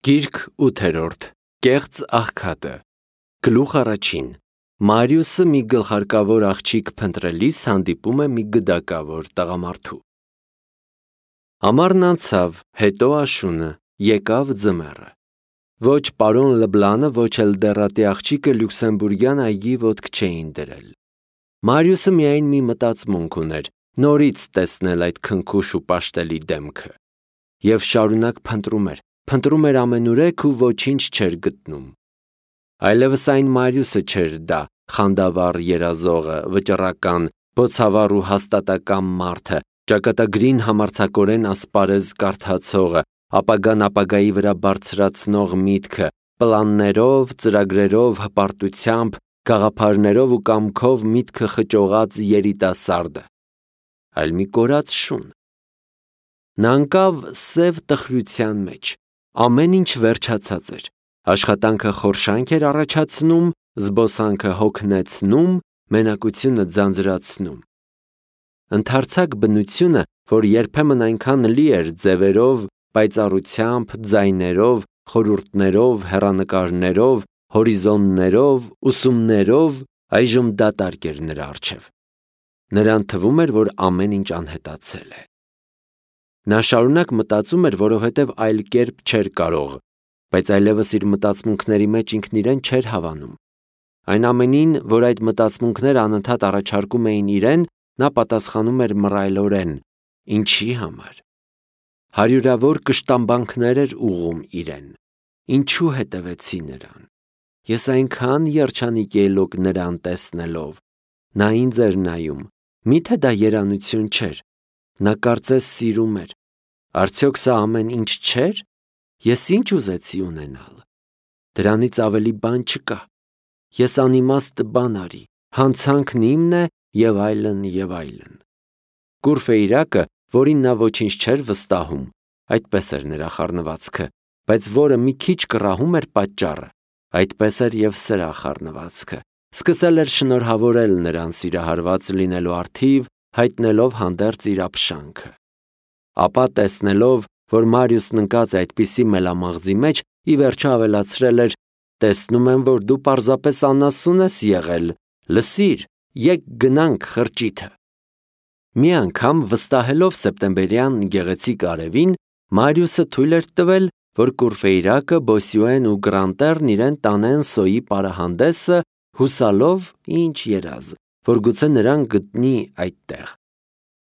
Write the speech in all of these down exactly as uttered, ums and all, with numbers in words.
Գիրք ութերորդ Կեղծ աղքատը Գլուխ առաջին Մարիուսը մի գլխարկավոր աղջիկ փնտրելիս հանդիպում է մի գդակավոր տղամարդու։ Ամառն անցավ, հետո աշունը, եկավ ձմեռը։ Ոչ պարոն Լբլանը, ոչ էլ դեռատի աղջիկը լյուքսեմբուրգյան այգի ոտք չէին դրել։ Մարիուսը միայն մի մտածմունք ուներ՝ նորից տեսնել այդ քնքուշ ու պաշտելի դեմքը։ Եվ շարունակ փնտրում էր, փնտրում էր ամենուրեք ու ոչինչ չէր գտնում։ Այլևս այն Մարիուսը չէր դա, խանդավառ երազողը, վճռական, բոցավառ ու հաստատակամ մարդը, ճակատագրին համարձակորեն ասպարեզ կարդացողը, ապագան ապագայի վրա բարձրացնող միտքը, պլաններով, ծրագրերով, հպարտությամբ, գաղափարներով ու կամքով միտքը խճողած երիտասարդը, այլ մի կորած շուն։ Նա ընկավ սև տխրության մեջ, ամեն ինչ վերջացած էր, աշխատանքը խորշանք էր առաջացնում, զբոսանքը հոգնեցնում, մենակությունը ձանձրացնում։ Ընդարձակ բնությունը, որ երբեմն այնքան լի էր ձևերով, պայծառությամբ, ձայներով, խորհուրդներով, հեռանկարներով, հորիզոններով, ուսումներով, այժմ դատարկ էր նրա առջև։ Նրան թվում էր, որ ամեն ինչ անհետացել է։ Նա շարունակ մտածում էր, որովհետև այլ կերպ չէր կարող, բայց այլևս իր մտածմունքների մեջ ինքն իրեն չէր հավանում։ Այն ամենին, որ այդ մտածմունքները անընդհատ առաջարկում էին իրեն, նա պատասխանում էր մռայլորեն. ինչի համար։ Հարյուրավոր կշտամբանքներ էր ուղղում իրեն։ Ինչու հետևեցի նրան։ Ես այնքան երջանիկ ելոք նրան տեսնելով։ Նա ինձ էր նայում, միթե դա երանություն չէր։ Նա կարծես սիրում էր։ Արդյոք սա ամեն ինչ չէր։ Ես ինչ ուզեցի ունենալ։ Դրանից ավելի բան չկա։ Ես անիմաստ բան արի, հանցանքն իմն է և այլն և այլն։ Կուրֆեյրակը, որին նա ոչինչ չէր վստահում, այդպես էր նրա խառնվածքը, բայց որը մի քիչ կռահում էր պատճառը, այդպես էր և սրա խառնվածքը, սկսել էր շնորհավորել նրան սիրահարված լինելու առթիվ, հայտնելով հանդերձ իր ապշանքը։ Ապա տեսնելով, որ Մարիուսն ընկած է այդպիսի մելամաղձի մեջ, ի վերջո ավելացրել էր. տեսնում եմ, որ դու պարզապես անասուն ես եղել, լսիր, եկ գնանք խրճիթը։ Մի անգամ վստահելով սեպտեմբերյան գեղեցիկ արևին, Մարիուսը թույլ էր տվել, որ Կուրֆեյրակը, Բոսյուեն ու Գրանտերն իրեն տանեն սոյի պարահանդեսը, հուսալով, ինչ երազ, որ գուցե նրան գտնի այդտեղ։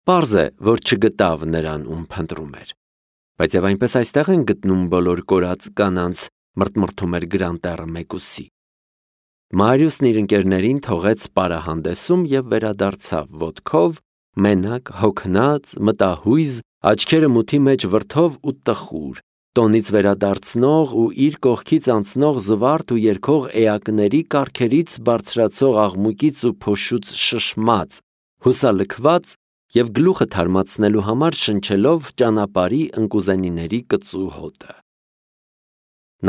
Պարզ է, որ չգտավ նրան, ում փնտրում էր։ Բայց և այնպես այստեղ են գտնում բոլոր կորած կանանց, մրթմրթում էր Գրանտերը մեկուսի։ Մարիուսն իր ընկերներին թողեց պարահանդեսում և վերադարձավ ոտքով, մենակ, հոգնած, մտահույզ, աչքերը մութի մեջ վրդով ու տխուր, տոնից վերադարձնող ու իր կողքից անցնող զվարթ ու երգող էակների կառքերից բարձրացող աղմուկից ու փոշուց շշմած, հուսալքված և գլուխը թարմացնելու համար շնչելով ճանապարհի ընկուզենիների կծու հոտը։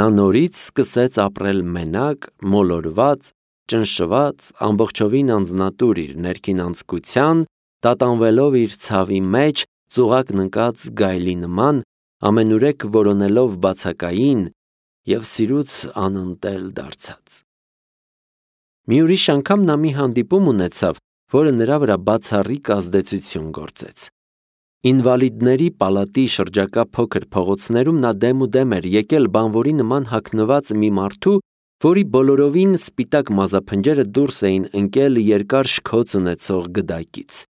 Նա նորից սկսեց ապրել մենակ, մոլորված, ճնշված, ամբողջովին անձնատուր իր ներքին անձկության, տատանվելով իր ցավի մեջ, ծուղակն ընկած գայլի նման, ամենուրեք որոնելով բացակային և սիրուց անընդել դարձած։ Մի ուրիշ անգամ նա մի հանդիպում ունեցավ, որը նրա վրա բացառիկ ազդեցություն գործեց։ Ինվալիդների պալատի շրջակա փոքր փողոցներում նա դեմուդեմ էր եկել բանվորի նման հագնված մի մարդու, որի բոլորովին սպիտակ մազափնջերը դուրս էին ընկել երկար շքոց ունեցող գդակից։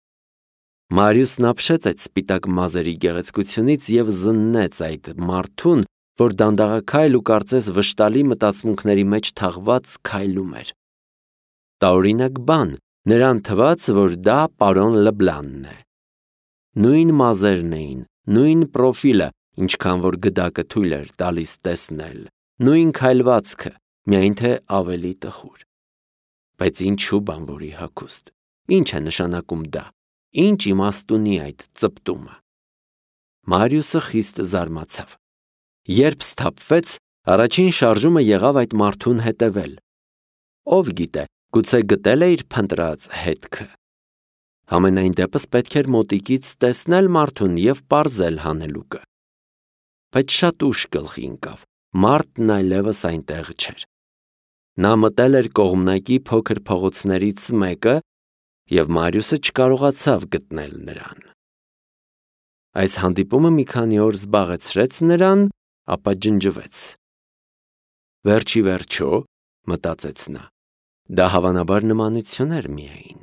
Մարիուսն ապշեց այդ սպիտակ մազերի գեղեցկությունից և զննեց այդ մարդուն, որ դանդաղաքայլ ու կարծես վշտալի մտածմունքների մեջ թաղված քայլում էր։ Տարօրինակ բան, նրան թվաց, որ դա պարոն Լբլանն է։ Նույն մազերն էին, նույն պրոֆիլը, ինչքան որ գդակը թույլ էր տալիս տեսնել, նույն քայլվածքը, միայն թե ավելի տխուր։ Բայց ինչու բանվորի հագուստ։ Ինչ է նշանակում դա։ Ինչ իմաստ ունի այդ ծպտումը։ Մարիուսը խիստ զարմացավ։ Երբ սթափվեց, առաջին շարժումը եղավ այդ մարդուն հետևել։ Ով գիտե, գուցե գտել է իր փնտրած հետքը։ Համենայն դեպս պետք էր մոտիկից տեսնել մարդուն և պարզել հանելուկը։ Բայց շատ ուշ գլխի ընկավ, Մարդն այլևս այնտեղ չէր։ Նա մտել էր կողմնակի փոքր փողոցներից մեկը և Մարիուսը չկարողացավ գտնել նրան։ Այս հանդիպումը մի քանի օր զբաղեցրեց նրան, ապա ջնջվեց։ Վերջ ի վերջո, մտածեց նա, դա հավանաբար նմանություն էր միայն։